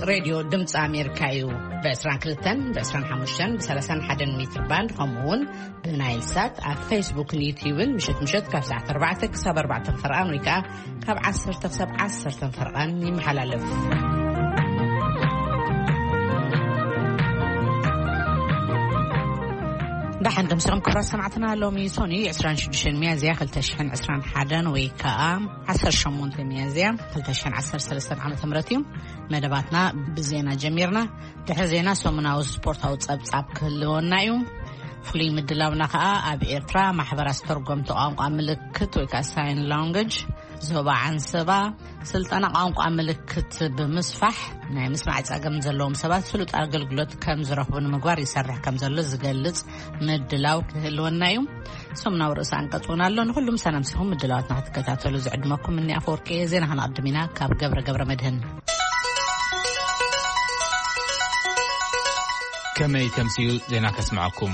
ሬድዮ ድምፂ ኣሜሪካ እዩ። ብ22፣ ብ25፣ ብ31 ሜትር ባንድ፣ ከምኡ እውን ብናይል ሳት ኣብ ፌስቡክን ዩትዩብን ምሸት ምሸት ካብ ሰዓት ኣርባዕተ ክሳብ ኣርባዕተ ፈርቓን ወይ ከዓ ካብ ዓሰርተ ክሳብ ዓሰርተ ፈርቓን ይመሓላለፍ። ደሓን ደምሲኹም ክቡራት ሰማዕትና፣ ሎሚ ሶኒ ዕስራን ሽዱሽተን ሚያዝያ ክልተ ሽሕን ዕስራን ሓደን ወይ ከዓ ዓሰርተ ሸሞንተ ሚያዝያ ክልተ ሽሕን ዓሰርተ ሰለስተን ዓመተ ምህረት እዩ። መደባትና ብዜና ጀሚርና። ድሕሪ ዜና ሰሙናዊ ስፖርታዊ ጸብጻብ ክህልወና እዩ። ፍሉይ ምድላውና ከኣ ኣብ ኤርትራ ማሕበራት ዝተርጎምቲ ቋንቋ ምልክት ወይ ከኣ ሳይን ላንጉጅ፣ ዞባ ዓንሰባ ስልጠና ቋንቋ ምልክት ብምስፋሕ ናይ ምስማዕ ጸገም ዘለዎም ሰባት ስሉጥ ኣገልግሎት ከም ዝረኽቡ ንምግባር ይሰርሕ ከም ዘሎ ዝገልጽ ምድላው ክህልወና እዩ። ሰሙናዊ ርእሰ ኣንቀጽ እውን ኣሎ። ንኹሉም ሰላም ሲኹም ምድላዋትና ክትከታተሉ ዝዕድመኩም እኒ ኣፈወርቂ እየ። ዜና ከነቐድም ኢና ካብ ገብረ ገብረ መድህን። ከመይ ተምስዩ ዜና ከስምዐኩም።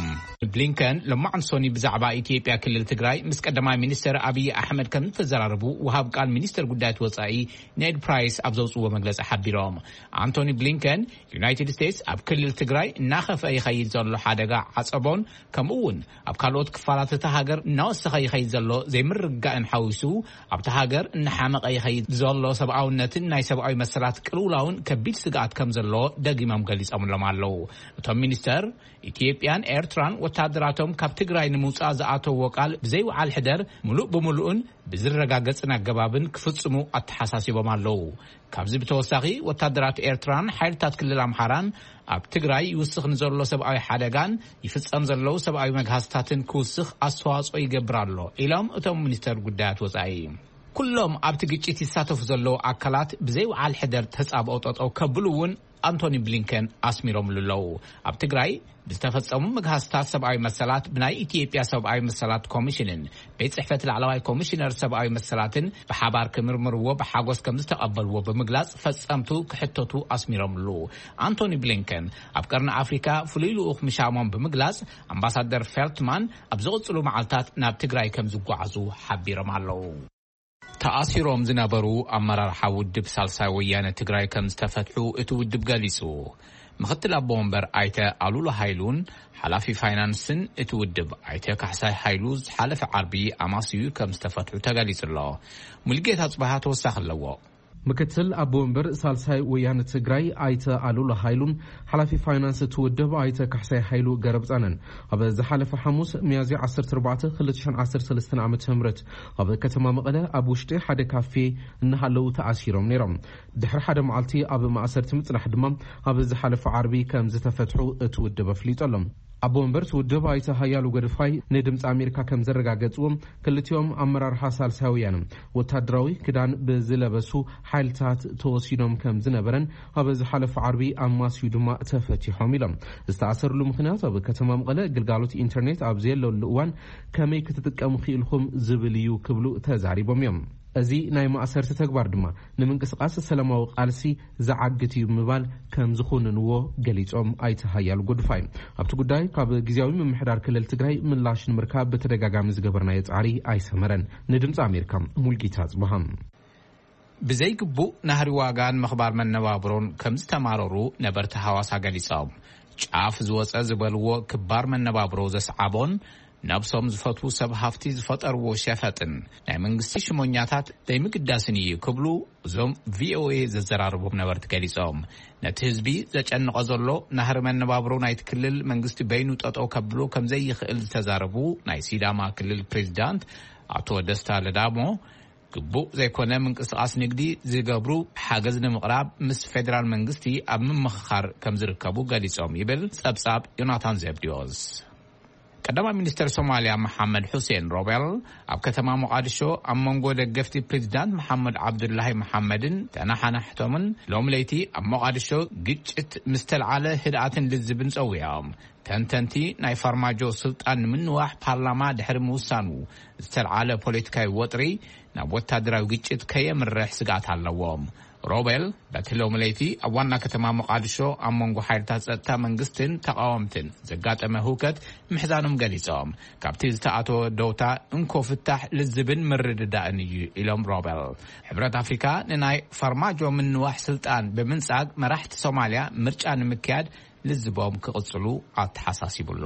ብሊንከን ሎማዕንቲ ሶኒ ብዛዕባ ኢትዮጵያ ክልል ትግራይ ምስ ቀዳማይ ሚኒስትር ኣብይ ኣሕመድ ከም ዝተዘራረቡ ወሃብ ቃል ሚኒስትር ጉዳያት ወጻኢ ኔድ ፕራይስ ኣብ ዘውፅዎ መግለፂ ሓቢሮም። ኣንቶኒ ብሊንከን ዩናይትድ ስቴትስ ኣብ ክልል ትግራይ እናኸፍአ ይኸይድ ዘሎ ሓደጋ ዓጸቦን ከምኡ እውን ኣብ ካልኦት ክፋላት እታ ሃገር እናወሰኸ ይኸይድ ዘሎ ዘይምርግጋእን ሓዊሱ ኣብታ ሃገር እናሓመቐ ይኸይድ ዘሎ ሰብኣውነትን ናይ ሰብኣዊ መሰላት ቅልውላውን ከቢድ ስግኣት ከም ዘሎ ደጊሞም ገሊጾምሎም ኣለዉ። እቶም ሚኒስተር ኢትዮጵያን ኤርትራን ወታደራቶም ካብ ትግራይ ንምውጻእ ዝኣተዎ ቃል ብዘይወዓል ሕደር ምሉእ ብምሉእን ብዝረጋገጽን ኣገባብን ክፍጽሙ ኣተሓሳሲቦም ኣለዉ። ካብዚ ብተወሳኺ ወታደራት ኤርትራን ሓይልታት ክልል ኣምሓራን ኣብ ትግራይ ይውስኽ ንዘሎ ሰብኣዊ ሓደጋን ይፍጸም ዘለዉ ሰብኣዊ መግሃስታትን ክውስኽ ኣስተዋጽኦ ይገብር ኣሎ ኢሎም እቶም ሚኒስተር ጉዳያት ወጻኢ። ኩሎም ኣብቲ ግጭት ይሳተፉ ዘለዉ ኣካላት ብዘይወዓል ሕደር ተጻብኦ ጠጠው ከብሉ እውን ኣንቶኒ ብሊንከን ኣስሚሮምሉ ኣለዉ። ኣብ ትግራይ ብዝተፈጸሙ ምግሃስታት ሰብኣዊ መሰላት ብናይ ኢትዮጵያ ሰብኣዊ መሰላት ኮሚሽንን ቤት ጽሕፈት ላዕለዋይ ኮሚሽነር ሰብኣዊ መሰላትን ብሓባር ክምርምርዎ ብሓጎስ ከም ዝተቐበልዎ ብምግላጽ ፈጸምቱ ክሕተቱ ኣስሚሮምሉ። ኣንቶኒ ብሊንከን ኣብ ቀርኒ ኣፍሪካ ፍሉይ ልኡኽ ምሻሞም ብምግላጽ ኣምባሳደር ፌልትማን ኣብ ዝቕጽሉ መዓልታት ናብ ትግራይ ከም ዝጓዓዙ ሓቢሮም ኣለዉ። ተኣሲሮም ዝነበሩ ኣመራርሓ ውድብ ሳልሳይ ወያነ ትግራይ ከም ዝተፈትሑ እቲ ውድብ ገሊጹ። ምኽትል ኣቦ ወንበር ኣይተ ኣሉላ ሃይሉን ሓላፊ ፋይናንስን እቲ ውድብ ኣይተ ካሕሳይ ሃይሉ ዝሓለፈ ዓርቢ ኣማስዩ ከም ዝተፈትሑ ተገሊጹ ኣሎ። ሙልጌታ ጽባሃ ተወሳኺ ኣለዎ። ምክትል ኣቦ ወንበር ሳልሳይ ወያነ ትግራይ ኣይተ ኣሉላ ሃይሉን ሓላፊ ፋይናንስ እቲ ውድብ ኣይተ ካሕሳይ ሃይሉ ገረብጻንን ኣብ ዝሓለፈ ሓሙስ ሚያዝያ ዓሰርተ ኣርባዕተ ክልተ ሽሕን ዓሰርተ ሰለስተን ዓመተ ምህረት ኣብ ከተማ መቐለ ኣብ ውሽጢ ሓደ ካፌ እናሃለዉ ተኣሲሮም ነይሮም። ድሕሪ ሓደ መዓልቲ ኣብ ማእሰርቲ ምጽናሕ ድማ ኣብ ዝሓለፈ ዓርቢ ከም ዝተፈትሑ እቲ ውድብ ኣፍሊጡ ኣሎ። ኣቦ ወንበር እቲ ውድብ ኣይተ ሃያሉ ገድፋይ ንድምፂ ኣሜሪካ ከም ዘረጋገፅዎም ክልቲኦም ኣመራርሓ ሳልሳይ ወያነ ወታደራዊ ክዳን ብዝለበሱ ሓይልታት ተወሲዶም ከም ዝነበረን ኣብ ዝሓለፈ ዓርቢ ኣማስዩ ድማ ተፈቲሖም ኢሎም። ዝተኣሰርሉ ምኽንያት ኣብ ከተማ መቐለ ግልጋሎት ኢንተርኔት ኣብ ዘየለሉ እዋን ከመይ ክትጥቀሙ ክኢልኩም ዝብል እዩ ክብሉ ተዛሪቦም እዮም። እዚ ናይ ማእሰርቲ ተግባር ድማ ንምንቅስቃስ ሰላማዊ ቃልሲ ዝዓግት እዩ ብምባል ከም ዝኹንንዎ ገሊጾም ኣይተ ሃያሉ ጎድፋይ። ኣብቲ ጉዳይ ካብ ግዝያዊ ምምሕዳር ክልል ትግራይ ምላሽ ንምርካብ ብተደጋጋሚ ዝገበርናዮ ጻዕሪ ኣይሰመረን። ንድምፂ ኣሜሪካ ሙልጌታ ጽብሃ። ብዘይግቡእ ናህሪ ዋጋን ምኽባር መነባብሮን ከም ዝተማረሩ ነበርቲ ሃዋሳ ገሊጾም። ጫፍ ዝወጸ ዝበልዎ ክባር መነባብሮ ዘስዓቦን ነብሶም ዝፈትዉ ሰብ ሃፍቲ ዝፈጠርዎ ሸፈጥን ናይ መንግስቲ ሽሞኛታት ዘይምግዳስን እዩ ክብሉ እዞም ቪኦኤ ዘዘራረቦም ነበርቲ ገሊጾም። ነቲ ህዝቢ ዘጨንቆ ዘሎ ናህሪ መነባብሮ ናይቲ ክልል መንግስቲ በይኑ ጠጠው ከብሎ ከም ዘይኽእል ዝተዛረቡ ናይ ሲዳማ ክልል ፕሬዚዳንት ኣቶ ደስታ ለዳሞ፣ ግቡእ ዘይኮነ ምንቅስቃስ ንግዲ ዝገብሩ ሓገዝ ንምቕራብ ምስ ፌደራል መንግስቲ ኣብ ምምኽኻር ከም ዝርከቡ ገሊጾም ይብል ጸብጻብ ዮናታን ዘብዲዮስ። ቀዳማይ ሚኒስተር ሶማልያ መሓመድ ሑሴን ሮቤል ኣብ ከተማ ሞቓድሾ ኣብ መንጎ ደገፍቲ ፕሬዚዳንት መሓመድ ዓብዱላሂ መሓመድን ተናሓናሕቶምን ሎም ለይቲ ኣብ ሞቓድሾ ግጭት ምስ ተልዓለ ህድኣትን ልዝብን ጸዊዖም። ተንተንቲ ናይ ፋርማጆ ስልጣን ንምንዋሕ ፓርላማ ድሕሪ ምውሳኑ ዝተልዓለ ፖለቲካዊ ወጥሪ ናብ ወታደራዊ ግጭት ከየምርሕ ስግኣት ኣለዎም። ሮቤል በቲ ሎሚ ለይቲ ኣብ ዋና ከተማ ሞቓድሾ ኣብ መንጎ ሓይልታት ጸጥታ መንግስትን ተቓወምትን ዘጋጠመ ህውከት ምሕዛኖም ገሊጾም፣ ካብቲ ዝተኣተወ ደውታ እንኮ ፍታሕ ልዝብን ምርድዳእን እዩ ኢሎም ሮቤል። ሕብረት ኣፍሪካ ንናይ ፋርማጆ ምንዋሕ ስልጣን ብምንጻግ መራሕቲ ሶማልያ ምርጫ ንምክያድ ልዝቦም ክቕጽሉ ኣተሓሳሲቡ ኣሎ።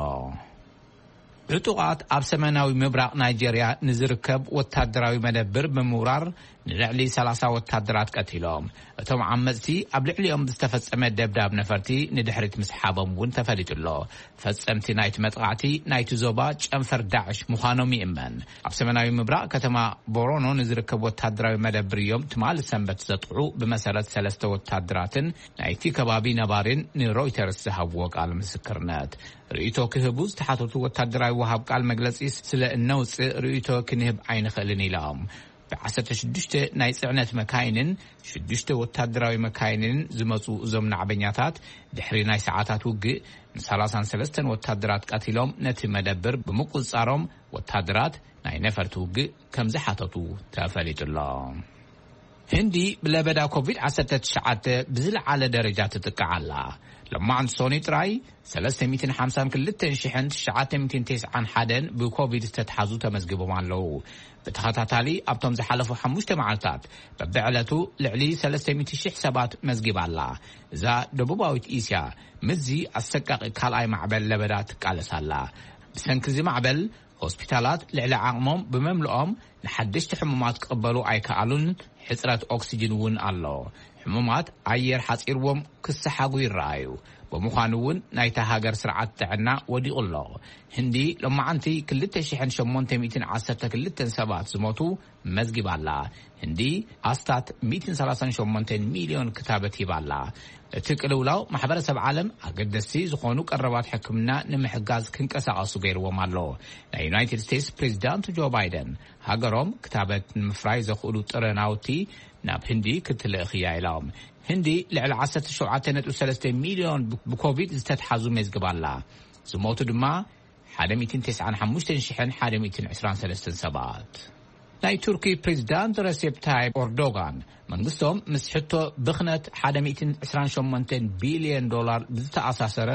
ዕጡቓት ኣብ ሰሜናዊ ምብራቕ ናይጄርያ ንዝርከብ ወታደራዊ መደብር ብምውራር ንልዕሊ ሰላሳ ወታደራት ቀቲሎም። እቶም ዓመጽቲ ኣብ ልዕሊኦም ዝተፈጸመ ደብዳብ ነፈርቲ ንድሕሪት ምስሓቦም እውን ተፈሊጡ ኣሎ። ፈጸምቲ ናይቲ መጥቓዕቲ ናይቲ ዞባ ጨንፈር ዳዕሽ ምዃኖም ይእመን። ኣብ ሰሜናዊ ምብራቕ ከተማ ቦሮኖ ንዝርከብ ወታደራዊ መደብር እዮም ትማሊ ሰንበት ዘጥቕዑ፣ ብመሰረት ሰለስተ ወታደራትን ናይቲ ከባቢ ነባሪን ንሮይተርስ ዝሃብዎ ቃል ምስክርነት። ርእይቶ ክህቡ ዝተሓተቱ ወታደራዊ ወሃብ ቃል መግለጺ ስለ እነውጽእ ርእይቶ ክንህብ ኣይንኽእልን ኢሎም። ብ16 ናይ ጽዕነት መካይንን ሽዱሽተ ወታደራዊ መካይንን ዝመጹ እዞም ናዕበኛታት ድሕሪ ናይ ሰዓታት ውግእ ን33 ወታደራት ቀቲሎም ነቲ መደብር ብምቁጽጻሮም ወታደራት ናይ ነፈርቲ ውግእ ከም ዝሓተቱ ተፈሊጡ ኣሎ። ህንዲ ብለበዳ ኮቪድ-19 ብዝለዓለ ደረጃ ትጥቃዕ ኣላ። ሎማዓንቲ ሶኒ ጥራይ 352,991 ብኮቪድ ዝተትሓዙ ተመዝግቦም ኣለዉ። ብተኸታታሊ ኣብቶም ዝሓለፉ ሓሙሽተ መዓልታት በብዕለቱ ልዕሊ 300,000 ሰባት መዝጊባ ኣላ። እዛ ደቡባዊት እስያ ምስዚ ኣሰቃቂ ካልኣይ ማዕበል ለበዳ ትቃለስ ኣላ። ብሰንኪ እዚ ማዕበል ሆስፒታላት ልዕሊ ዓቕሞም ብመምልኦም ንሓደሽቲ ሕሙማት ክቕበሉ ኣይከኣሉን። ሕጽረት ኦክሲጅን እውን ኣሎ። ሕሙማት ኣየር ሓጺርዎም ክሰሓጉ ይረኣዩ። ብምዃኑ እውን ናይታ ሃገር ስርዓት ጥዕና ወዲቑ ኣሎ። ህንዲ ሎማዓንቲ 2,812 ሰባት ዝሞቱ መዝጊባ ኣላ። ህንዲ ኣስታት 138 ሚልዮን ክታበት ሂባ ኣላ። እቲ ቅልውላው ማሕበረሰብ ዓለም ኣገደስቲ ዝኾኑ ቀረባት ሕክምና ንምሕጋዝ ክንቀሳቐሱ ገይርዎም ኣሎ። ናይ ዩናይትድ ስቴትስ ፕሬዚዳንት ጆ ባይደን ሃገሮም ክታበት ንምፍራይ ዘኽእሉ ጥረ ናውቲ ናብ ህንዲ ክትልእኽ እያ ኢሎም። ህንዲ ልዕሊ 17.3 ሚልዮን ብኮቪድ ዝተትሓዙ መዝግባ ኣላ። ዝሞቱ ድማ 195,123 ሰባት። ናይ ቱርኪ ፕሬዚዳንት ረሴፕ ታይብ ኦርዶጋን መንግስቶም ምስ ሕቶ ብኽነት 128 ቢልዮን ዶላር ብዝተኣሳሰረ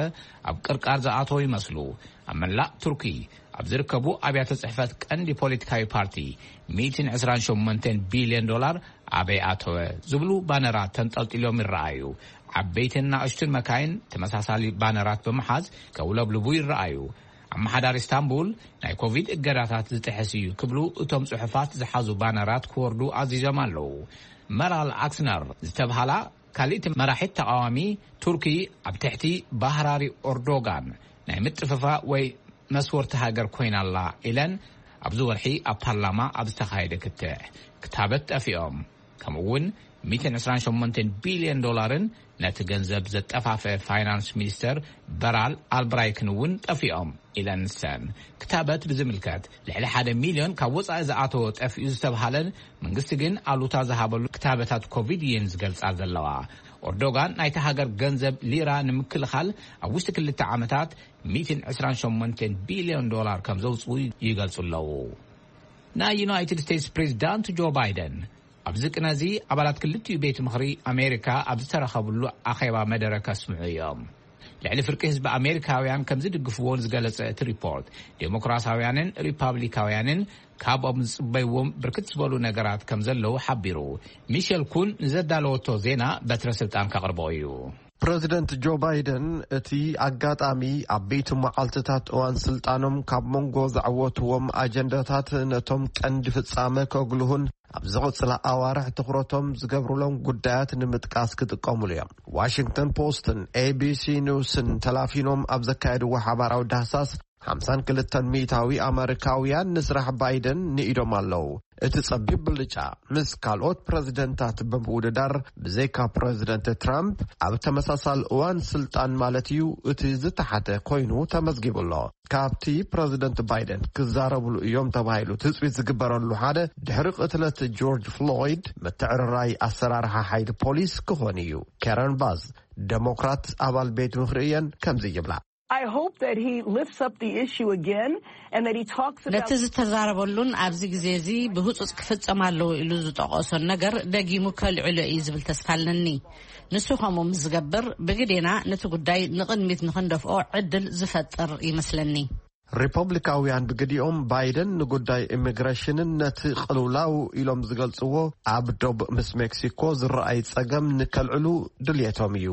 ኣብ ቅርቃር ዝኣተው ይመስሉ። ኣብ መላእ ቱርኪ ኣብ ዝርከቡ ኣብያተ ጽሕፈት ቀንዲ ፖለቲካዊ ፓርቲ 128 ቢልዮን ዶላር ኣበይ ኣተወ ዝብሉ ባነራት ተንጠልጢሎም ይረኣዩ። ዓበይትን ናእሽቱን መካይን ተመሳሳሊ ባነራት ብምሓዝ ከውለብልቡ ይረኣዩ። ኣመሓዳሪ ኢስታንቡል ናይ ኮቪድ እገዳታት ዝጥሕስ እዩ ክብሉ እቶም ጽሑፋት ዝሓዙ ባነራት ክወርዱ ኣዚዞም ኣለዉ። መራል ኣክስነር ዝተብሃላ ካልእቲ መራሒት ተቓዋሚ ቱርኪ ኣብ ትሕቲ ባህራሪ ኦርዶጋን ናይ ምጥፍፋ ወይ መስወርቲ ሃገር ኮይና ኣላ ኢለን ኣብዚ ወርሒ ኣብ ፓርላማ ኣብ ዝተኻየደ ክትዕ ክታበት ጠፊኦም። ከምኡ እውን 128 ቢልዮን ዶላርን ነቲ ገንዘብ ዘጠፋፈ ፋይናንስ ሚኒስተር በራል ኣልብራይክን እውን ጠፊኦም ኢለን ንሰን። ክታበት ብዝምልከት ልዕሊ ሓደ ሚልዮን ካብ ወጻኢ ዝኣተወ ጠፊኡ ዝተብሃለን መንግስቲ ግን ኣሉታ ዝሃበሉ ክታበታት ኮቪድ እየን ዝገልጻ ዘለዋ። ኦርዶጋን ናይቲ ሃገር ገንዘብ ሊራ ንምክልኻል ኣብ ውሽጢ ክልተ ዓመታት 128 ቢልዮን ዶላር ከም ዘውፅኡ ይገልጹ ኣለዉ። ናይ ዩናይትድ ስቴትስ ፕሬዚዳንት ጆ ባይደን ኣብዚ ቅነዚ ኣባላት ክልቲኡ ቤት ምኽሪ ኣሜሪካ ኣብ ዝተረኸብሉ ኣኼባ መደረ ከስምዑ እዮም። ልዕሊ ፍርቂ ህዝቢ ኣሜሪካውያን ከም ዝድግፍዎ ዝገለጸ እቲ ሪፖርት፣ ዴሞክራሲያውያንን ሪፓብሊካውያንን ካብኦም ዝጽበይዎም ብርክት ዝበሉ ነገራት ከም ዘለዉ ሓቢሩ። ሚሸል ኩን ንዘዳለወቶ ዜና በትረ ስልጣን ከቕርቦ እዩ። ፕረዚደንት ጆ ባይደን እቲ ኣጋጣሚ ኣብ ቤት መዓልትታት እዋን ስልጣኖም ካብ መንጎ ዘዕወትዎም ኣጀንዳታት ነቶም ቀንዲ ፍጻመ ከጉልሁን ኣብ ዝቕጽላ ኣዋርሕ ትኹረቶም ዝገብሩሎም ጉዳያት ንምጥቃስ ክጥቀሙሉ እዮም። ዋሽንግተን ፖስትን ኤቢሲ ኒውስን ተላፊኖም ኣብ ዘካየድዎ ሓባራዊ ዳህሳስ 52% ኣመሪካውያን ንስራሕ ባይደን ንኢዶም ኣለዉ። እቲ ጸቢብ ብልጫ ምስ ካልኦት ፕረዚደንታት ብምውድዳር ብዘይካ ፕረዚደንት ትራምፕ ኣብ ተመሳሳሊ እዋን ስልጣን ማለት እዩ እቲ ዝተሓተ ኮይኑ ተመዝጊቡ ኣሎ። ካብቲ ፕረዚደንት ባይደን ክዛረብሉ እዮም ተባሂሉ ትጽቢት ዝግበረሉ ሓደ ድሕሪ ቅትለት ጆርጅ ፍሎይድ ምትዕርራይ ኣሰራርሓ ሓይሊ ፖሊስ ክኾን እዩ። ካረን ባዝ ደሞክራት ኣባል ቤት ምኽሪ እየን ከምዚ ይብላ። I hope that he lifts up the issue again and that he talks about ነቲ ዝተዛረበሉን ኣብዚ ግዜ እዚ ብህጹጽ ክፍጸም ኣለዎ ኢሉ ዝጠቐሶን ነገር ደጊሙ ከልዕሎ እዩ ዝብል ተስፋ ኣለኒ። ንሱ ከምኡ ምስ ዝገብር ብግዴና ነቲ ጉዳይ ንቕድሚት ንኽንደፍኦ ዕድል ዝፈጥር ይመስለኒ። ሪፐብሊካውያን ብግዲኦም ባይደን ንጉዳይ ኢሚግሬሽንን ነቲ ቅልውላው ኢሎም ዝገልጽዎ ኣብ ዶብ ምስ ሜክሲኮ ዝረኣይ ጸገም ንከልዕሉ ድልየቶም እዩ።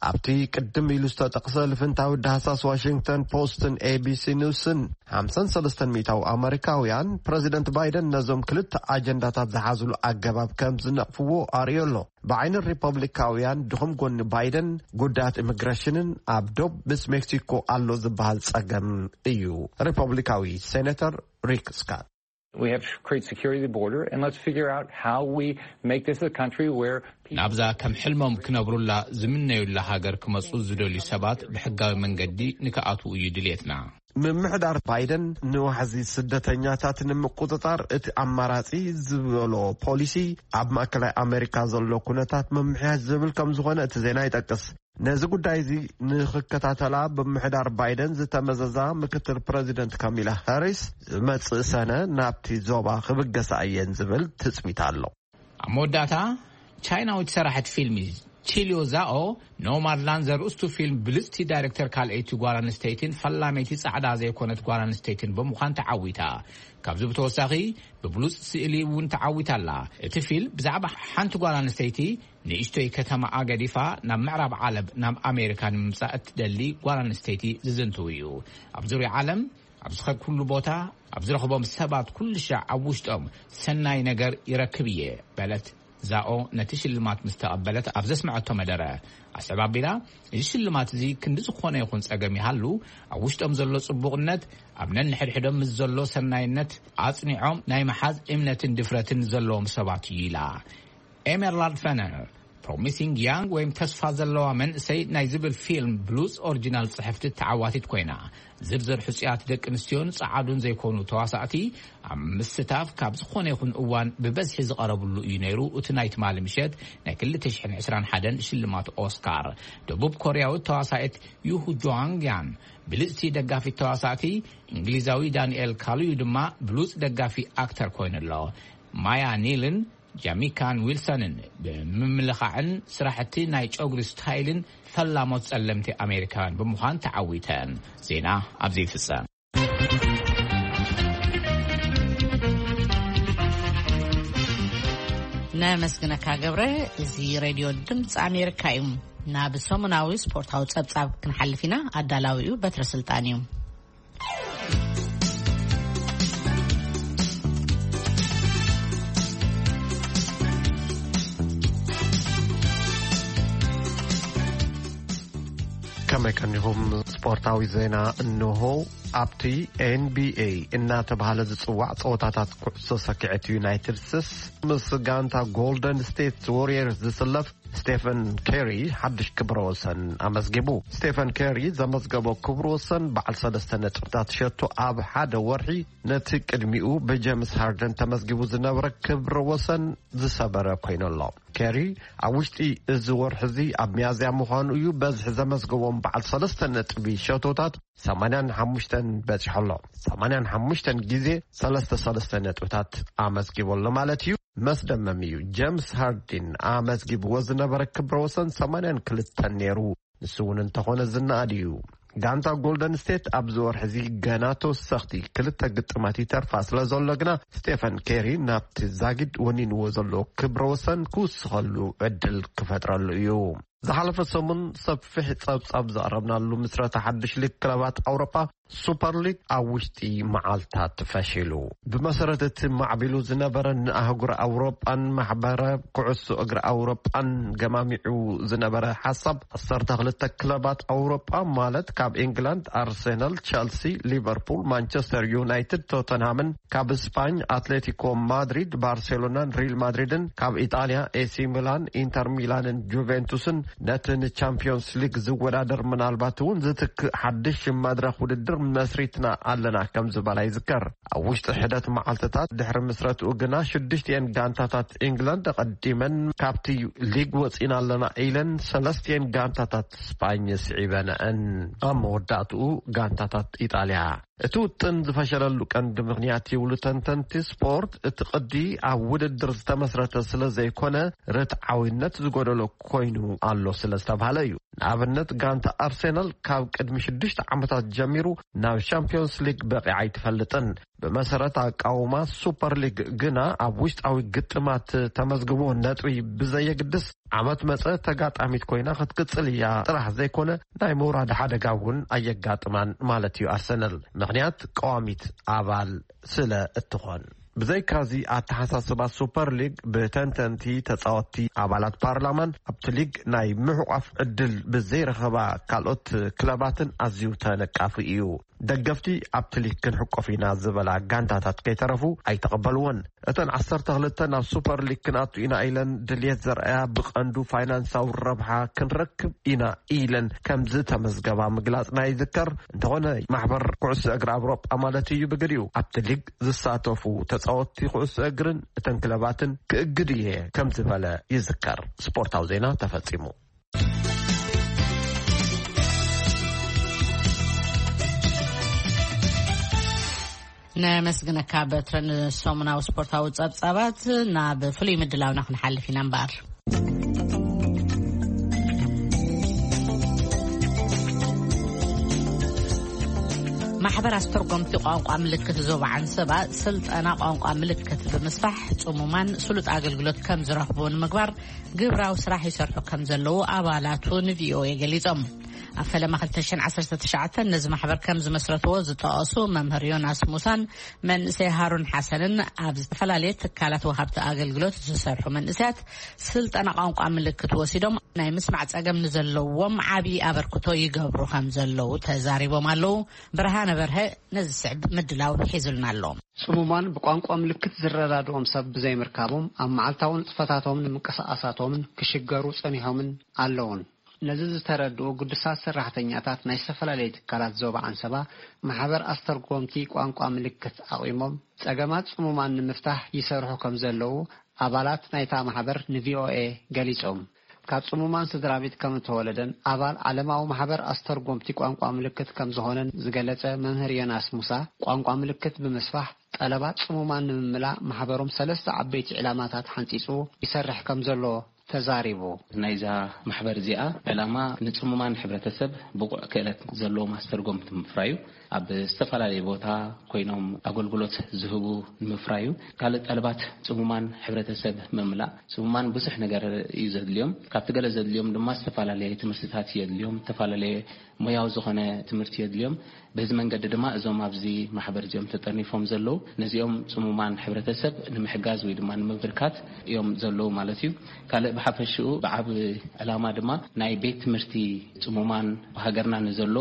ኣብቲ ቅድም ኢሉ ዝተጠቕሰ ልፍንታዊ ዳህሳስ ዋሽንግተን ፖስትን ኤቢሲ ኒውስን ሓምሳን ሰለስተን ሚእታዊ ኣመሪካውያን ፕረዚደንት ባይደን ነዞም ክልተ ኣጀንዳታት ዝሓዝሉ ኣገባብ ከም ዝነቕፍዎ ኣርእዮ ኣሎ። ብዓይኒ ሪፐብሊካውያን ድኹም ጎኒ ባይደን ጉዳያት ኢሚግሬሽንን ኣብ ዶብ ምስ ሜክሲኮ ኣሎ ዝበሃል ጸገም እዩ። ሪፐብሊካዊ ሴኔተር ሪክ ስካት We have to create security at the border, and let's figure out how we make this a country where people ናብዛ ከም ሕልሞም ክነብሩላ ዝምነዩላ ሃገር ክመጹ ዝደልዩ ሰባት ብሕጋዊ መንገዲ ንክኣትዉ እዩ ድልየትና። ምምሕዳር ባይደን ንዋሕዚ ስደተኛታት ንምቁጽጻር እቲ ኣማራጺ ዝበሎ ፖሊሲ ኣብ ማእከላይ ኣሜሪካ ዘሎ ኩነታት ምምሕያሽ ዝብል ከም ዝኾነ እቲ ዜና ይጠቅስ። ነዚ ጉዳይ እዚ ንኽከታተላ ብምሕዳር ባይደን ዝተመዘዛ ምክትል ፕረዚደንት ካሚላ ሃሪስ ዝመጽእ ሰነ ናብቲ ዞባ ክብገሳ እየን ዝብል ትጽቢት ኣሎ። ኣብ መወዳእታ፣ ቻይናዊት ሰራሕት ፊልም ቺልዮ ዛኦ ኖማድላንድ ዘርእስቱ ፊልም ብልጽቲ ዳይሬክተር ካልኣይቲ ጓል ኣንስተይቲን ፈላመይቲ ጻዕዳ ዘይኮነት ጓል ኣንስተይቲን ብምዃን ተዓዊታ። ካብዚ ብተወሳኺ ብብሉጽ ስእሊ እውን ተዓዊታ ኣላ። እቲ ፊልም ብዛዕባ ሓንቲ ጓል ኣንስተይቲ ንእሽቶይ ከተማኣ ገዲፋ ናብ ምዕራብ ዓለም ናብ ኣሜሪካ ንምምጻእ እትደሊ ጓል ኣንስተይቲ ዝዝንትው እዩ። ኣብ ዙርያ ዓለም ኣብ ዝኸድኩሉ ቦታ ኣብ ዝረኽቦም ሰባት ኩሉ ሻዕ ኣብ ውሽጦም ሰናይ ነገር ይረክብ እየ በለት። ዛኦ ነቲ ሽልማት ምስ ተቐበለት ኣብ ዘስመዐቶ መደረ ኣስተባቢላ፣ እዚ ሽልማት እዚ ክንዲ ዝኾነ ይኹን ጸገም ይሃሉ ኣብ ውሽጦም ዘሎ ጽቡቕነት ኣብ ነንሕድሕዶም ምስ ዘሎ ሰናይነት ኣጽኒዖም ናይ ምሓዝ እምነትን ድፍረትን ዘለዎም ሰባት እዩ ኢላ። ኤሜርላልድ ፈነር ፕሮሚሲንግ ያንግ ወይም ተስፋ ዘለዋ መንእሰይ ናይ ዝብል ፊልም ብሉጽ ኦሪጂናል ጽሕፍቲ ተዓዋቲት ኮይና፣ ዝርዝር ሕጹያት ደቂ ኣንስትዮን ጸዓዱን ዘይኮኑ ተዋሳእቲ ኣብ ምስታፍ ካብ ዝኾነ ይኹን እዋን ብበዝሒ ዝቐረብሉ እዩ ነይሩ። እቲ ናይ ትማሊ ምሸት ናይ ክልተ ሽሕን ዕስራን ሓደን ሽልማት ኦስካር፣ ደቡብ ኮርያዊት ተዋሳኢት ዩሁ ጆንግ ያን ብልጽቲ ደጋፊት ተዋሳእቲ፣ እንግሊዛዊ ዳንኤል ካሉዩ ድማ ብሉጽ ደጋፊ ኣክተር ኮይኑ ኣሎ። ማያ ኒልን ጃሚካን ዊልሰንን ብምምልኻዕን ስራሕቲ ናይ ጨጉሪ ስታይልን ፈላሞት ጸለምቲ ኣሜሪካውያን ብምዃን ተዓዊተን። ዜና ኣብዚ ይፍጸም። ነመስግነካ ገብረ። እዚ ሬድዮ ድምፂ ኣሜሪካ እዩ። ናብ ሰሙናዊ ስፖርታዊ ጸብጻብ ክንሓልፍ ኢና። ኣዳላዊኡ በትረ ስልጣን እዩ። ከመይ ቀኒኹም? ስፖርታዊ ዜና እንሆ። ኣብቲ ኤንቢኤ እናተባህለ ዝጽዋዕ ጸወታታት ኩዕሶ ሰኪዐት ዩናይትድ ስቴትስ፣ ምስ ጋንታ ጎልደን ስቴት ዎሪየርስ ዝስለፍ ስቴፈን ኬሪ ሓድሽ ክብረ ወሰን ኣመዝጊቡ። ስቴፈን ኬሪ ዘመዝገቦ ክብረ ወሰን በዓል ሰለስተ ነጥብታት ሸቶ ኣብ ሓደ ወርሒ ነቲ ቅድሚኡ ብጀምስ ሃርደን ተመዝጊቡ ዝነበረ ክብረ ወሰን ዝሰበረ ኮይኑ ኣሎ። ኬሪ ኣብ ውሽጢ እዚ ወርሒ እዚ ኣብ ሚያዝያ ምዃኑ እዩ በዝሒ ዘመዝገቦም በዓል ሰለስተ ነጥቢ ሸቶታት ሰማንያን ሓሙሽተን በጺሑ ኣሎ። ሰማንያን ሓሙሽተን ግዜ ሰለስተ ሰለስተ ነጥብታት ኣመዝጊቡ ኣሎ ማለት እዩ። መስደመም እዩ። ጀምስ ሃርዲን ኣመዝጊብዎ ዝነበረ ክብረ ወሰን ሰማንያን ክልተን ነይሩ። ንሱ እውን እንተኾነ ዝነኣድ እዩ። ጋንታ ጎልደን ስቴት ኣብዚ ወርሒ እዚ ገና ተወሰኽቲ ክልተ ግጥማት ይተርፋ ስለ ዘሎ ግና፣ ስቴፈን ኬሪ ናብቲ ዛጊድ ወኒንዎ ዘሎ ክብረ ወሰን ክውስኸሉ ዕድል ክፈጥረሉ እዩ። ዝሓለፈ ሰሙን ሰፊሕ ጸብጻብ ዘቕረብናሉ ምስረታ ሓድሽ ሊግ ክለባት ኣውሮጳ ሱፐር ሊግ ኣብ ውሽጢ መዓልታት ፈሺሉ። ብመሰረት እቲ ማዕቢሉ ዝነበረ ንኣህጉር ኣውሮጳን ማሕበረ ኩዕሶ እግሪ ኣውሮጳን ገማሚዑ ዝነበረ ሓሳብ፣ ዓሰርተ ክልተ ክለባት ኣውሮጳ ማለት ካብ ኢንግላንድ ኣርሴናል፣ ቸልሲ፣ ሊቨርፑል፣ ማንቸስተር ዩናይትድ፣ ቶተንሃምን ካብ ስፓኝ ኣትሌቲኮ ማድሪድ፣ ባርሴሎናን ሪል ማድሪድን፣ ካብ ኢጣልያ ኤሲ ሚላን፣ ኢንተር ሚላንን ጁቬንቱስን ነቲ ንቻምፒዮንስ ሊግ ዝወዳደር ምናልባት እውን ዝትክእ ሓድሽ መድረኽ ውድድር መስሪትና ኣለና ከም ዝበላ ይዝከር። ኣብ ውሽጢ ሕደት መዓልትታት ድሕሪ ምስረትኡ ግና ሽዱሽቲኤን ጋንታታት ኢንግላንድ ኣቐዲመን ካብቲ ሊግ ወጺና ኣለና ኢለን ሰለስቲኤን ጋንታታት ስጳኝ ስዒበንአን። ኣብ መወዳእትኡ ጋንታታት ኢጣልያ እቲ ውጥን ዝፈሸለሉ ቀንዲ ምኽንያት ይብሉ ተንተንቲ ስፖርት፣ እቲ ቅዲ ኣብ ውድድር ዝተመስረተ ስለ ዘይኮነ ርትዓዊነት ዝጎደሎ ኮይኑ ኣሎ ስለ ዝተባህለ እዩ። ንኣብነት ጋንታ ኣርሴናል ካብ ቅድሚ ሽዱሽተ ዓመታት ጀሚሩ ናብ ሻምፒዮንስ ሊግ በቂዓ ኣይትፈልጥን። ብመሰረት ኣቃውማ ሱፐር ሊግ ግና ኣብ ውሽጣዊ ግጥማት ተመዝግቦ ነጥቢ ብዘየግድስ ዓመት መጸ ተጋጣሚት ኮይና ክትቅጽል እያ ጥራሕ ዘይኮነ ናይ ምውራድ ሓደጋ እውን ኣየጋጥማን ማለት እዩ ኣርሰናል። ምኽንያት ቀዋሚት ኣባል ስለ እትኾን። ብዘይካዚ ኣተሓሳስባ ሱፐር ሊግ ብተንተንቲ ተጻወትቲ ኣባላት ፓርላማን ኣብቲ ሊግ ናይ ምሕቋፍ ዕድል ብዘይረኸባ ካልኦት ክለባትን ኣዝዩ ተነቃፊ እዩ። ደገፍቲ ኣብቲ ሊግ ክንሕቆፍ ኢና ዝበላ ጋንታታት ከይተረፉ ኣይተቐበልዎን። እተን ዓሰርተ ክልተ ናብ ሱፐር ሊግ ክንኣቱ ኢና ኢለን ድልየት ዘርኣያ ብቐንዱ ፋይናንሳዊ ረብሓ ክንረክብ ኢና ኢለን ከም ዝተመዝገባ ምግላጽና ይዝከር። እንተኾነ ማሕበር ኩዕሶ እግሪ ኣውሮጳ ማለት እዩ ብግዲኡ ኣብቲ ሊግ ዝሳተፉ ተጻወትቲ ኩዕሶ እግርን እተን ክለባትን ክእግድ እየ ከም ዝበለ ይዝከር። ስፖርታዊ ዜና ተፈጺሙ። ነመስግነካ በትረ። ንሰሙናዊ ስፖርታዊ ጸብጻባት ናብ ፍሉይ ምድላውና ክንሓልፍ ኢና እምበኣር። ማሕበር ኣስተርጎምቲ ቋንቋ ምልክት ዞባ ዓንሰባ ስልጠና ቋንቋ ምልክት ብምስፋሕ ጽሙማን ስሉጥ ኣገልግሎት ከም ዝረኽቡ ንምግባር ግብራዊ ስራሕ ይሰርሑ ከም ዘለዉ ኣባላቱ ንቪኦኤ ገሊጾም። ኣብ ፈለማ ክልተ ሽሕን ዓሰርተ ትሽዓተን ነዚ ማሕበር ከም ዝመስረትዎ ዝጠቐሱ መምህር ዮናስ ሙሳን መንእሰይ ሃሩን ሓሰንን ኣብ ዝተፈላለየ ትካላት ወሃብቲ ኣገልግሎት ዝሰርሑ መንእሰያት ስልጠና ቋንቋ ምልክት ወሲዶም ናይ ምስማዕ ጸገም ንዘለዎም ዓቢ ኣበርክቶ ይገብሩ ከም ዘለዉ ተዛሪቦም ኣለዉ። ብርሃነ በርሀ ነዚ ዝስዕብ ምድላው ሒዙልና ኣሎ። ጽሙማን ብቋንቋ ምልክት ዝረዳድኦም ሰብ ብዘይምርካቦም ኣብ መዓልታዊ ንጥፈታቶምን ምንቅስቓሳቶምን ክሽገሩ ጸኒሖምን ኣለዉን። ነዚ ዝተረድኡ ግዱሳት ሰራሕተኛታት ናይ ዝተፈላለዩ ትካላት ዞባ ዓንሰባ ማሕበር ኣስተርጎምቲ ቋንቋ ምልክት ኣቑሞም ጸገማት ጽሙማን ንምፍታሕ ይሰርሑ ከም ዘለዉ ኣባላት ናይታ ማሕበር ንቪኦኤ ገሊጾም። ካብ ጽሙማን ስድራ ቤት ከም እተወለደን ኣባል ዓለማዊ ማሕበር ኣስተርጎምቲ ቋንቋ ምልክት ከም ዝኾነን ዝገለጸ መምህር ዮናስ ሙሳ፣ ቋንቋ ምልክት ብምስፋሕ ጠለባት ጽሙማን ንምምላእ ማሕበሮም ሰለስተ ዓበይቲ ዕላማታት ሓንጺጹ ይሰርሕ ከም ዘሎ ተዛሪቡ። ናይዛ ማሕበር እዚኣ ዕላማ ንጽሙማን ሕብረተሰብ ብቑዕ ክእለት ዘለዎም ኣስተርጎምቲ ምፍራዩ፣ ኣብ ዝተፈላለየ ቦታ ኮይኖም ኣገልግሎት ዝህቡ ንምፍራዩ፣ ካልእ ጠለባት ጽሙማን ሕብረተሰብ ምምላእ። ጽሙማን ብዙሕ ነገር እዩ ዘድልዮም። ካብቲ ገለ ዘድልዮም ድማ ዝተፈላለየ ትምህርትታት የድልዮም፣ ዝተፈላለየ ሞያዊ ዝኾነ ትምህርቲ የድልዮም። በዚ መንገዲ ድማ እዞም ኣብዚ ማሕበር እዚኦም ተጠርኒፎም ዘለዉ፣ ነዚኦም ጽሙማን ሕብረተሰብ ንምሕጋዝ ወይ ድማ ንምብርካት እዮም ዘለዉ ማለት እዩ። ካልእ ብሓፈሽኡ ብዓቢ ዕላማ ድማ ናይ ቤት ትምህርቲ ጽሙማን ሃገርና ንዘሎ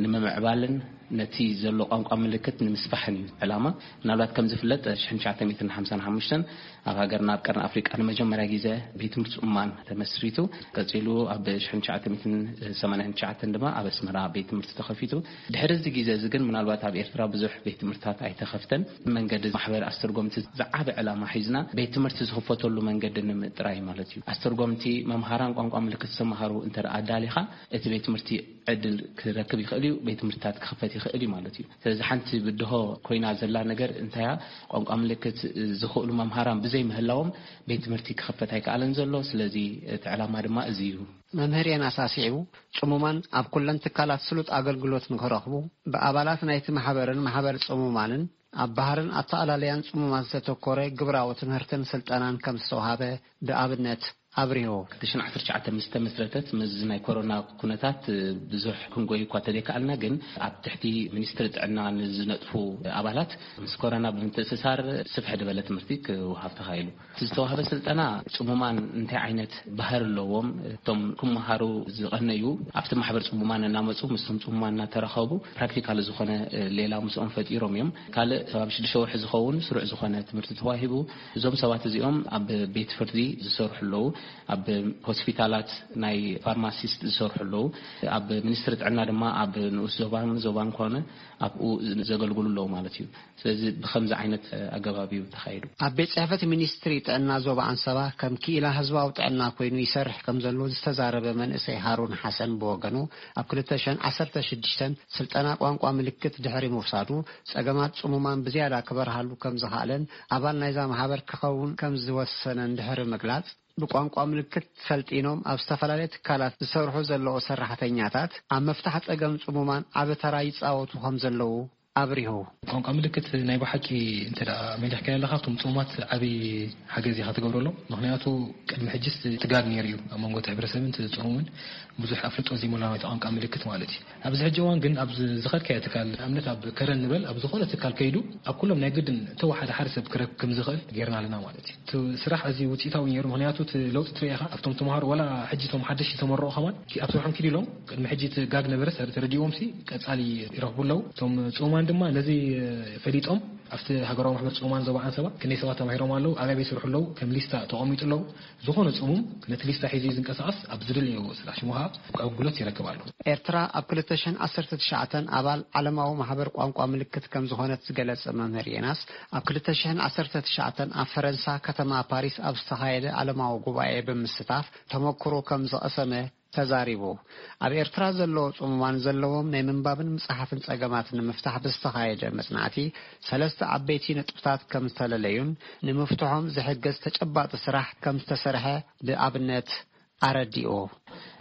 ንምምዕባልን ነቲ ዘሎ ቋንቋ ምልክት ንምስፋሕን እዩ ዕላማ። ምናልባት ከም ዝፍለጥ ሽሕን ትሽዓተ ሚእትን ሓምሳን ሓሙሽተን ኣብ ሃገርና ኣብ ቀርኒ ኣፍሪቃ ንመጀመርያ ግዜ ቤት ትምህርቲ ጽሙማን ተመስሪቱ። ቀጺሉ ኣብ ሽሕን ትሽዓተ ሚእትን ሰማንያን ትሽዓተን ድማ ኣብ ኣስመራ ቤት ትምህርቲ ተኸፊቱ። ድሕሪ እዚ ግዜ እዚ ግን ምናልባት ኣብ ኤርትራ ብዙሕ ቤት ትምህርትታት ኣይተኸፍተን። መንገዲ ማሕበር ኣስተርጎምቲ ዝዓበ ዕላማ ሒዝና ቤት ትምህርቲ ዝኽፈተሉ መንገዲ ንምጥራይ ማለት እዩ። ኣስተርጎምቲ መምሃራን ቋንቋ ምልክት ዝተምሃሩ እንተ ደኣ ኣዳሊኻ እቲ ቤት ትምህርቲ ዕድል ክረክብ ይኽእል እዩ፣ ቤት ትምህርትታት ክኽፈት ይኽእል እዩ ማለት እዩ። ስለዚ ሓንቲ ብድሆ ኮይና ዘላ ነገር እንታያ ቋንቋ ምልክት ዝኽእሉ መምሃራን ብዘይ ምህላዎም ቤት ትምህርቲ ክኽፈት ኣይከኣለን ዘሎ። ስለዚ እቲ ዕላማ ድማ እዚ እዩ። መምህር የናስ ኣስዒቡ፣ ጽሙማን ኣብ ኩለን ትካላት ስሉጥ ኣገልግሎት ንክረኽቡ ብኣባላት ናይቲ ማሕበርን ማሕበር ጽሙማንን ኣብ ባህርን ኣተኣላለያን ጽሙማት ዝተተኮረ ግብራዊ ትምህርትን ስልጠናን ከም ዝተውሃበ ብኣብነት ኣብሪሁ። ክልተ ሽሕን ዓሰርተ ትሽዓተ ምስ ተመስረተት፣ ምስዚ ናይ ኮሮና ኩነታት ብዙሕ ክንጎይ እኳ ተዘይከኣልና፣ ግን ኣብ ትሕቲ ሚኒስትሪ ጥዕና ንዝነጥፉ ኣባላት ምስ ኮሮና ብምትእስሳር ስፍሕ ዝበለ ትምህርቲ ክወሃብ ተኻኢሉ። እቲ ዝተዋህበ ስልጠና ጽሙማን እንታይ ዓይነት ባህሪ ኣለዎም፣ እቶም ክመሃሩ ዝቐነዩ ኣብቲ ማሕበር ጽሙማን እናመጹ ምስቶም ጽሙማን እናተራኸቡ ፕራክቲካል ዝኾነ ሌላ ምስኦም ፈጢሮም እዮም። ካልእ ከባቢ ሽዱሽተ ወርሒ ዝኸውን ስሩዕ ዝኾነ ትምህርቲ ተዋሂቡ። እዞም ሰባት እዚኦም ኣብ ቤት ፍርዲ ዝሰርሑ ኣለዉ። ኣብ ሆስፒታላት ናይ ፋርማሲስት ዝሰርሑ ኣለዉ። ኣብ ሚኒስትሪ ጥዕና ድማ ኣብ ንኡስ ዞባን ዞባን ኮነ ኣብኡ ዘገልግሉ ኣለዉ ማለት እዩ። ስለዚ ብኸምዚ ዓይነት ኣገባብ እዩ ተኻይዱ። ኣብ ቤት ጽሕፈት ሚኒስትሪ ጥዕና ዞባ ኣንሰባ ከም ክኢላ ህዝባዊ ጥዕና ኮይኑ ይሰርሕ ከም ዘሎ ዝተዛረበ መንእሰይ ሃሩን ሓሰን ብወገኑ፣ ኣብ ክልተ ሽሕን ዓሰርተ ሽዱሽተን ስልጠና ቋንቋ ምልክት ድሕሪ ምውሳዱ፣ ጸገማት ጽሙማን ብዝያዳ ክበርሃሉ ከም ዝኸኣለን ኣባል ናይዛ ማሕበር ክኸውን ከም ዝወሰነን ድሕሪ ምግላጽ፣ ብቋንቋ ምልክት ሰልጢኖም ኣብ ዝተፈላለየ ትካላት ዝሰርሑ ዘለዉ ሰራሕተኛታት ኣብ ምፍታሕ ጸገም ጽሙማን ዓቢ ተራ ይጻወቱ ከም ዘለዉ ኣብሪሁ። ቋንቋ ምልክት ናይ ብሓቂ እንተ ደኣ መሊኽካዮ ኣለኻ፣ እቶም ጽሙማት ዓቢ ሓገዝ ኢኻ ትገብረሎም። ምኽንያቱ ቅድሚ ሕጅስ ትጋግ ነይሩ እዩ ኣብ መንጎ እቲ ሕብረተሰብን እቲ ጽሙምን ብዙሕ ኣፍልጦ ዘይምልዋን እቲ ቋንቋ ምልክት ማለት እዩ። ኣብዚ ሕጂ እዋን ግን ኣብ ዝኸድካዮ ትካል፣ ንኣብነት ኣብ ከረን ንበል፣ ኣብ ዝኾነ ትካል ከይዱ ኣብ ኩሎም ናይ ግድን ተወሓደ ሓደ ሰብ ክረክብ ከም ዝኽእል ጌርና ኣለና ማለት እዩ። እቲ ስራሕ ኣዝዩ ውጽኢታዊ ነይሩ፣ ምኽንያቱ እቲ ለውጢ ትርኢ ኢኻ። ኣብቶም ተምሃሮ ዋላ ሕጂ እቶም ሓደሽቲ ዝተመረቑ ከማን ኣብ ስርሖም ኪድ ኢሎም ቅድሚ ሕጂ እቲ ጋግ ነበረ ሰር-፣ ተረዲእዎም ሲ ቀጻሊ ይረኽቡ ኣለዉ። እቶም ጽሙማን ድማ ነዚ ፈሊጦም ኣብቲ ሃገራዊ ማሕበር ጽሙማን ዞባ ዓንሰባ ክንደይ ሰባት ተማሂሮም ኣለዉ፣ ኣበይ ኣበይ ይሰርሑ ኣለዉ፣ ከም ሊስታ ተቐሚጡ ኣለዉ። ዝኾነ ጽሙም ነቲ ሊስታ ሒዙ እዩ ዝንቀሳቐስ፣ ኣብ ዝደለዮ ስራሕ ሽሙ ኸኣ ኣገልግሎት ይረክብ ኣሎ። ኤርትራ ኣብ ክልተ ሽሕን ዓሰርተ ትሽዓተን ኣባል ዓለማዊ ማሕበር ቋንቋ ምልክት ከም ዝኾነት ዝገለጸ መምህር የናስ፣ ኣብ ክልተ ሽሕን ዓሰርተ ትሽዓተን ኣብ ፈረንሳ ከተማ ፓሪስ ኣብ ዝተኻየደ ዓለማዊ ጉባኤ ብምስታፍ ተመክሮ ከም ዝቐሰመ ተዛሪቡ። ኣብ ኤርትራ ዘለዉ ጽሙማን ዘለዎም ናይ ምንባብን ምጽሓፍን ጸገማት ንምፍታሕ ብዝተኻየደ መጽናዕቲ፣ ሰለስተ ዓበይቲ ነጥብታት ከም ዝተለለዩን ንምፍትሖም ዝሕግዝ ተጨባጢ ስራሕ ከም ዝተሰርሐ ብኣብነት ኣረዲኡ።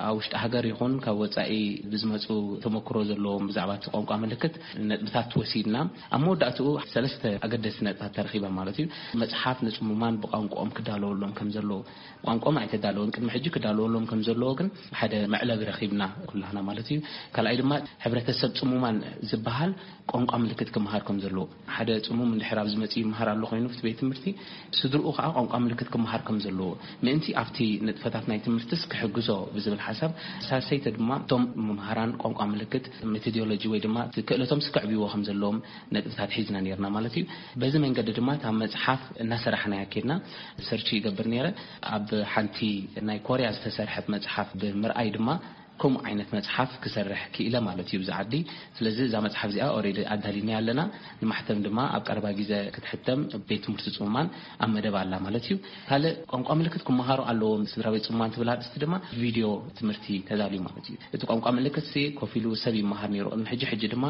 ኣብ ውሽጢ ሃገር ይኹን ካብ ወጻኢ ብዝመጹ ተመክሮ ዘለዎም ብዛዕባ እቲ ቋንቋ ምልክት ነጥብታት ወሲድና፣ ኣብ መወዳእትኡ ሰለስተ ኣገደስቲ ነጥብታት ተረኺበ ማለት እዩ። መጽሓፍ ንጽሙማን ብቋንቋኦም ክዳለወሎም ከም ዘለዎ፣ ቋንቋኦም ኣይተዳለወን፣ ቅድሚ ሕጂ ክዳለወሎም ከም ዘለዎ ግን ሓደ መዕለቢ ረኺብና ኩላህና ማለት እዩ። ካልኣይ ድማ ሕብረተሰብ ጽሙማን ዝበሃል ቋንቋ ምልክት ክመሃር ከም ዘለዎ፣ ሓደ ጽሙም እንድሕር ኣብዚ መጺኡ ይመሃር ኣሎ ኮይኑ፣ ኣብቲ ቤት ትምህርቲ ስድርኡ ከኣ ቋንቋ ምልክት ክመሃር ከም ዘለዎ፣ ምእንቲ ኣብቲ ንጥፈታት ናይ ትምህርትስ ክሕግዞ ብዝብል ሓሳብ፣ ሳልሰይቲ ድማ እቶም መምሃራን ቋንቋ ምልክት ሜቶዶሎጂ ወይ ድማ እቲ ክእለቶም ስክዕብዎ ከም ዘለዎም ነጥብታት ሒዝና ነርና ማለት እዩ። በዚ መንገዲ ድማ እታ መጽሓፍ እናሰራሕናያ ኬድና፣ ሰርች ይገብር ነይረ። ኣብ ሓንቲ ናይ ኮርያ ዝተሰርሐት መጽሓፍ ብምርኣይ ድማ ከምኡ ዓይነት መጽሓፍ ክሰርሕ ክኢለ ማለት እዩ ብዛ ዓዲ። ስለዚ እዛ መጽሓፍ እዚኣ ኦሬዲ ኣዳሊና ኣለና። ንማሕተም ድማ ኣብ ቀረባ ግዜ ክትሕተም ቤት ትምህርቲ ጽሙማን ኣብ መደብ ኣላ ማለት እዩ። ካልእ ቋንቋ ምልክት ክመሃሩ ኣለዎም ስድራ ቤት ጽሙማን ትብል ኣርእስቲ ድማ ቪድዮ ትምህርቲ ተዳልዩ ማለት እዩ። እቲ ቋንቋ ምልክት ሲ ኮፍ ኢሉ ሰብ ይመሃር ነይሩ። ቅድሚ ሕጂ፣ ሕጂ ድማ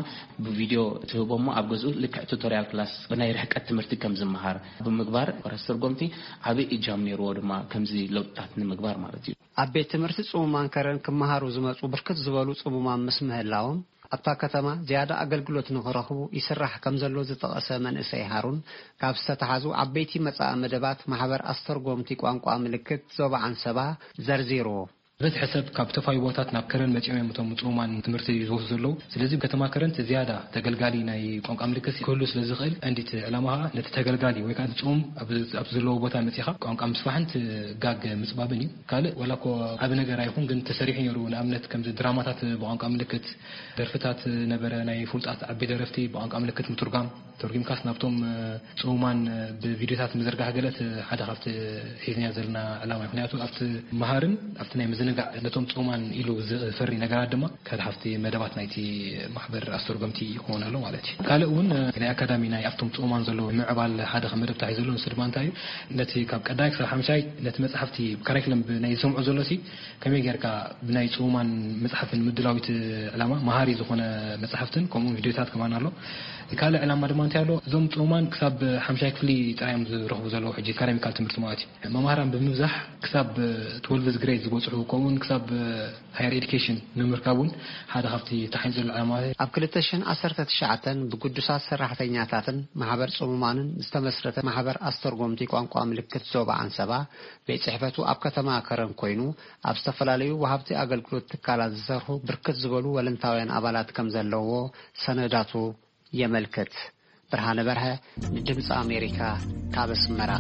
ብቪድዮ ትህቦ እሞ ኣብ ገዝኡ ልክዕ ቱቶሪያል ክላስ ብናይ ርሕቀት ትምህርቲ ከም ዝመሃር ብምግባር ኣስተርጎምቲ ዓቢ እጃም ነይርዎ ድማ ከምዚ ለውጥታት ንምግባር ማለት እዩ። ኣብ ቤት ትምህርቲ ጽሙማን ከረን ክመሃሩ ዝመጹ ብርክት ዝበሉ ጽሙማን ምስ ምህላዎም፣ ኣብታ ከተማ ዝያዳ ኣገልግሎት ንኽረኽቡ ይስራሕ ከም ዘሎ ዝጠቐሰ መንእሰይ ሃሩን፣ ካብ ዝተተሓዙ ዓበይቲ መጻኢ መደባት ማሕበር ኣስተርጎምቲ ቋንቋ ምልክት ዞባ ዓንሰባ ዘርዚሩ። በዝሒ ሰብ ካብ ተፋይቦታት ናብ ከረን መጺኦም እዮም እቶም ጽሙማን ትምህርቲ ዝወስዱ ዘለዉ። ስለዚ ከተማ ከረን እቲ ዝያዳ ተገልጋሊ ናይ ቋንቋ ምልክት ክህሉ ስለ ዝኽእል፣ ቀንዲ እቲ ዕላማ ኸኣ ነቲ ተገልጋሊ ወይ ከኣ እቲ ጽሙም ኣብ፣ ኣብ ዘለዎ ቦታ መጺኻ ቋንቋ ምስፋሕን እቲ ጋግ ምጽባብን እዩ። ካልእ ዋላ እኮ ዓቢ ነገር ኣይኹን፣ ግን ተሰሪሑ ነይሩ። ንኣብነት ከምዚ ድራማታት ብቋንቋ ምልክት፣ ደርፍታት ነበረ፣ ናይ ፍሉጣት ዓቢ ደረፍቲ ብቋንቋ ምልክት ምትርጓም፣ ተርጒምካስ ናብቶም፣ እ፣ ጽሙማን፣ እ፣ ብቪድዮታት ምዝርጋሕ ገለ እቲ ሓደ ካብቲ ሒዝናዮ ዘለና ዕላማ እዩ። ምኽንያቱ ኣብቲ መሃርን ኣብቲ ናይ ምዝንጋዕ ነቶም ጽሙማን ኢሉ ዝፈሪ ነገራት ድማ ሓደ ካብቲ መደባት ናይቲ ማሕበር ኣስተርጎምቲ ይኸውን ኣሎ ማለት እዩ። ካልእ እውን፣ እ፣ ናይ ኣካዳሚ ናይ ኣብቶም ጽሙማን ዘለዉ ምዕባል ሓደ ከም መደብ ተታሒዙ ዘሎ፣ ንሱ ድማ እንታይ እዩ? ነቲ ካብ ቀዳማይ ክሳብ ሓምሻይ ነቲ መጽሓፍቲ ካሪክለም ብናይ ዝሰምዑ ዘሎ ሲ ከመይ ጌርካ ብናይ ጽሙማን መጽሓፍን ምድላው እቲ ዕላማ መሃሪ ዝኾነ መጽሓፍትን ከምኡ ቪድዮታት ከማን ኣሎ። ካልእ ዕላማ ድማ እንታይ ኣሎ? እዞም ጽሙማን ክሳብ ሓምሻይ ክፍሊ ጥራይ እዮም ዝረኽቡ ዘለዉ ሕጂ ኣካዳሚካል ትምህርቲ ማለት እዩ። መማህራን ብምብዛሕ ክሳብ ትወልቭዝ ግሬድ ዝበጽሑ ከምኡውን ክሳብ ሃየር ኤዱኬሽን ንምርካብ እውን ሓደ ካብቲ ተሓይኑ ዘሎ ዕላማታት። ኣብ ክልተ ሽሕን ዓሰርተ ትሽዓተን ብግዱሳት ሰራሕተኛታትን ማሕበር ጽሙማንን ዝተመስረተ ማሕበር ኣስተርጎምቲ ቋንቋ ምልክት ዞባ ዓንሰባ ቤት ጽሕፈቱ ኣብ ከተማ ከረን ኮይኑ፣ ኣብ ዝተፈላለዩ ወሃብቲ ኣገልግሎት ትካላት ዝሰርሑ ብርክት ዝበሉ ወለንታውያን ኣባላት ከም ዘለዎ ሰነዳቱ የመልክት። ብርሃነ በርሀ ንድምፂ ኣሜሪካ ካብ ኣስመራ።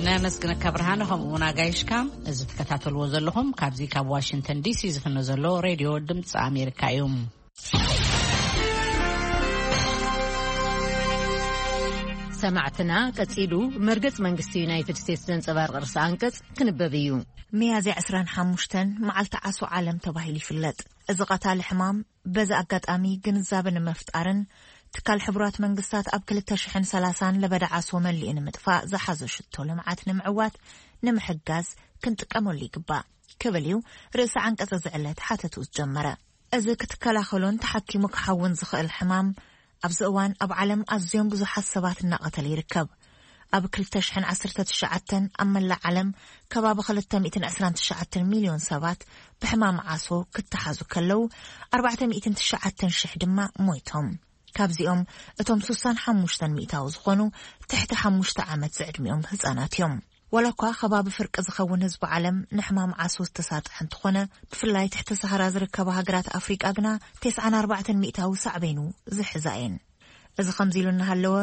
ነመስግነካ ብርሃነ፣ ከምኡ እውን ኣጋይሽካ። እዚ ትከታተልዎ ዘለኹም ካብዚ ካብ ዋሽንግተን ዲሲ ዝፍኖ ዘሎ ሬድዮ ድምፂ ኣሜሪካ እዩ። ሰማዕትና፣ ቀጺሉ መርገጽ መንግስቲ ዩናይትድ ስቴትስ ዘንጸባርቕ ርእሰ ኣንቀጽ ክንበብ እዩ። ሚያዝያ ዕስራን ሓሙሽተን መዓልቲ ዓሶ ዓለም ተባሂሉ ይፍለጥ። እዚ ቀታሊ ሕማም በዚ ኣጋጣሚ ግንዛበ ንምፍጣርን ትካል ሕቡራት መንግስታት ኣብ ክልተ ሽሕን ሰላሳን ለበዳ ዓሶ መሊኡ ንምጥፋእ ዝሓዞ ሽቶ ልምዓት ንምዕዋት ንምሕጋዝ ክንጥቀመሉ ይግባእ ክብል እዩ ርእሰ ዓንቀጽ እዚ ዕለት ሓተቱ ዝጀመረ። እዚ ክትከላኸሎን ተሓኪሙ ክሓውን ዝኽእል ሕማም ኣብዚ እዋን ኣብ ዓለም ኣዝዮም ብዙሓት ሰባት እናቐተለ ይርከብ። ኣብ ክልተ ሽሕን ዓሰርተ ትሽዓተን ኣብ መላእ ዓለም ከባቢ ክልተ ሚእትን ዕስራን ትሽዓተን ሚልዮን ሰባት ብሕማም ዓሶ ክተሓዙ ከለዉ፣ ኣርባዕተ ሚእትን ትሽዓተን ሽሕ ድማ ሞይቶም። ካብዚኦም እቶም ስሳን ሓሙሽተን ሚእታዊ ዝኾኑ ትሕቲ ሓሙሽተ ዓመት ዝዕድሚኦም ህጻናት እዮም። ዋላ እኳ ከባቢ ፍርቂ ዝኸውን ህዝቢ ዓለም ንሕማም ዓሶ ዝተሳጥሐ እንተኾነ፣ ብፍላይ ትሕቲ ሰሃራ ዝርከባ ሃገራት ኣፍሪቃ ግና ተስዓን ኣርባዕተን ሚእታዊ ሳዕቤኑ ዝሕዛ እየን። እዚ ከምዚ ኢሉ እናሃለወ፣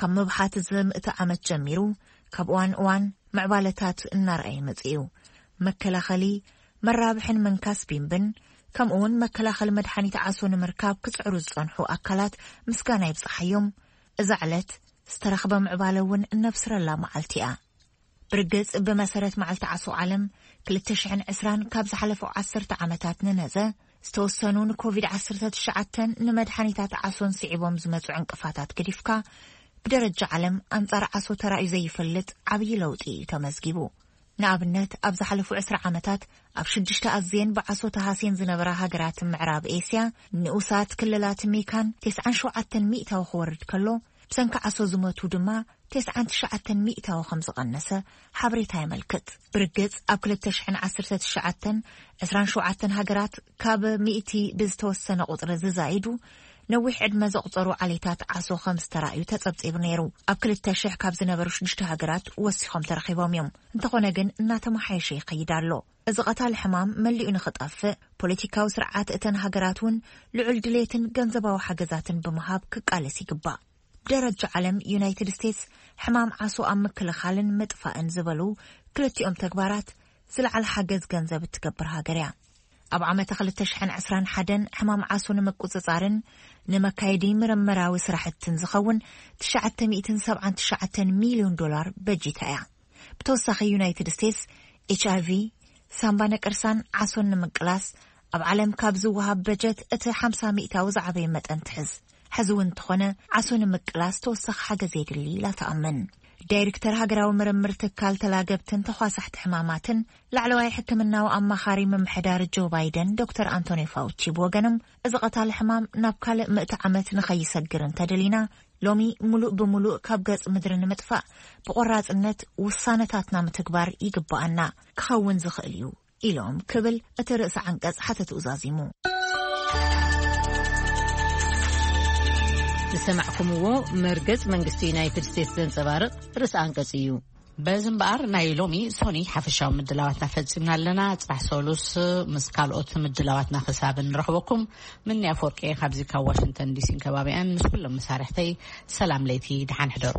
ካብ ምብሓት እዚ ምእቲ ዓመት ጀሚሩ ካብ እዋን እዋን ምዕባለታት እናረኣየ መጺኡ። መከላኸሊ፣ መራብሕን ምንካስ ቢምብን፣ ከምኡ እውን መከላኸሊ መድሓኒት ዓሶ ንምርካብ ክጽዕሩ ዝጸንሑ ኣካላት ምስጋና ይብጽሓዮም። እዛ ዕለት ዝተረኽበ ምዕባለ እውን እነብስረላ መዓልቲ እያ። ብርግጽ፣ ብመሰረት መዓልቲ ዓሶ ዓለም ክልተ ሽሕን ዕስራን ካብ ዝሓለፈ ዓሰርተ ዓመታት ንነዘ፣ ዝተወሰኑ ንኮቪድ ዓሰርተ ትሽዓተን ንመድሓኒታት ዓሶን ስዒቦም ዝመጹ ዕንቅፋታት ገዲፍካ፣ ብደረጃ ዓለም ኣንጻር ዓሶ ተራእዩ ዘይፈልጥ ዓብዪ ለውጢ እዩ ተመዝጊቡ። ንኣብነት፣ ኣብ ዝሓለፉ ዕስራ ዓመታት ኣብ ሽዱሽተ ኣዝየን ብዓሶ ተሃስየን ዝነበራ ሃገራት ምዕራብ ኤስያ፣ ንኡሳት ክልላት ሚካን ተስዓን ሸውዓተን ሚእታዊ ክወርድ ከሎ፣ ብሰንኪ ዓሶ ዝሞቱ ድማ ተስዓን ትሽዓተን ሚእታዊ ከም ዝቐነሰ ሓበሬታ የመልክት። ብርግጽ፣ ኣብ ክልተ ሽሕን ዓሰርተ ትሽዓተን ዕስራን ሸውዓተን ሃገራት ካብ ሚእቲ ብዝተወሰነ ቁጽሪ ዝዛይዱ ነዊሕ ዕድመ ዘቑጸሩ ዓሌታት ዓሶ ከም ዝተራእዩ ተጸብጺቡ ነይሩ። ኣብ ክልተ ሽሕ ካብ ዝነበሩ ሽዱሽተ ሃገራት ወሲኾም ተረኺቦም እዮም። እንተኾነ ግን እናተመሓየሸ ይኸይድ ኣሎ። እዚ ቀታሊ ሕማም መሊኡ ንኽጠፍእ፣ ፖለቲካዊ ስርዓት እተን ሃገራት እውን ልዑል ድሌትን ገንዘባዊ ሓገዛትን ብምሃብ ክቃለስ ይግባእ። ብደረጃ ዓለም፣ ዩናይትድ ስቴትስ ሕማም ዓሶ ኣብ ምክልኻልን ምጥፋእን ዝበሉ ክልቲኦም ተግባራት ዝለዓለ ሓገዝ ገንዘብ እትገብር ሃገር እያ። ኣብ ዓመተ ክልተ ሽሕን ዕስራን ሓደን ሕማም ዓሶ ንምቁጽጻርን ንመካየዲ ምርምራዊ ስራሕትን ዝኸውን ትሽዓተ ሚእትን ሰብዓን ትሽዓተን ሚልዮን ዶላር በጂታ እያ። ብተወሳኺ፣ ዩናይትድ ስቴትስ ኤች ኣይ ቪ፣ ሳምባ ነቀርሳን ዓሶን ንምቅላስ ኣብ ዓለም ካብ ዝወሃብ በጀት እቲ ሓምሳ ሚእታዊ ዝዓበየ መጠን ትሕዝ። ሕዚ እውን እንተኾነ፣ ዓሶ ንምቅላስ ተወሳኺ ሓገዝ የድሊ ኢላ ትኣምን። ዳይሬክተር ሃገራዊ ምርምር ትካል ተላገብትን ተኳሳሕቲ ሕማማትን ላዕለዋይ ሕክምናዊ ኣማኻሪ ምምሕዳር ጆ ባይደን ዶክተር ኣንቶኒ ፋውቺ ብወገኖም፣ እዚ ቀታሊ ሕማም ናብ ካልእ ምእቲ ዓመት ንኸይሰግር እንተደሊና፣ ሎሚ ሙሉእ ብሙሉእ ካብ ገጽ ምድሪ ንምጥፋእ ብቆራጽነት ውሳነታትና ምትግባር ይግባኣና፣ ክኸውን ዝኽእል እዩ ኢሎም ክብል እቲ ርእሰ ዓንቀጽ ሓተትኡ ዛዚሙ። ዝሰማዕኩምዎ መርገጽ መንግስቲ ዩናይትድ ስቴትስ ዘንጸባርቕ ርእሰ ኣንቀጽ እዩ። በዚ እምበኣር ናይ ሎሚ ሶኒ ሓፈሻዊ ምድላዋትና ፈጺምና ኣለና። ጽባሕ ሰሉስ ምስ ካልኦት ምድላዋትና ክሳብ እንረኽበኩም፣ ምንያ ኣፈወርቂ ካብዚ ካብ ዋሽንግተን ዲሲን ከባቢኣን ምስ ኩሎም መሳርሕተይ ሰላም ለይቲ፣ ደሓን ሕደሩ።